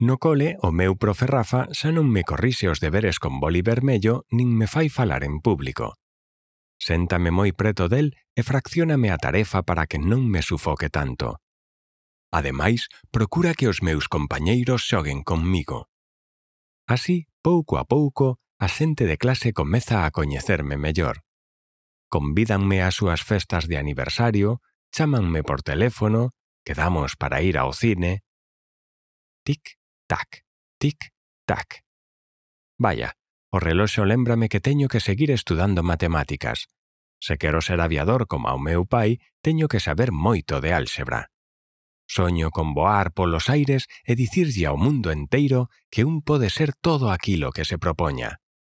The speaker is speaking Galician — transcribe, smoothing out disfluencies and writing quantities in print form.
No cole, o meu profe Rafa xa non me corrixe os deberes con boli vermello nin me fai falar en público. Séntame moi preto del e fraccióname a tarefa para que non me sufoque tanto. Ademais, procura que os meus compañeiros xoguen conmigo. Así, pouco a pouco, a xente de clase comeza a coñecerme mellor. Convídanme ás súas festas de aniversario, chámanme por teléfono, quedamos para ir ao cine. Tic-tac, tic-tac. Vaya, o reloxo lémbrame que teño que seguir estudando matemáticas. Se quero ser aviador como o meu pai, teño que saber moito de álxebra. Soño con voar polos aires e dicirlle ao mundo enteiro que un pode ser todo aquilo que se propoña.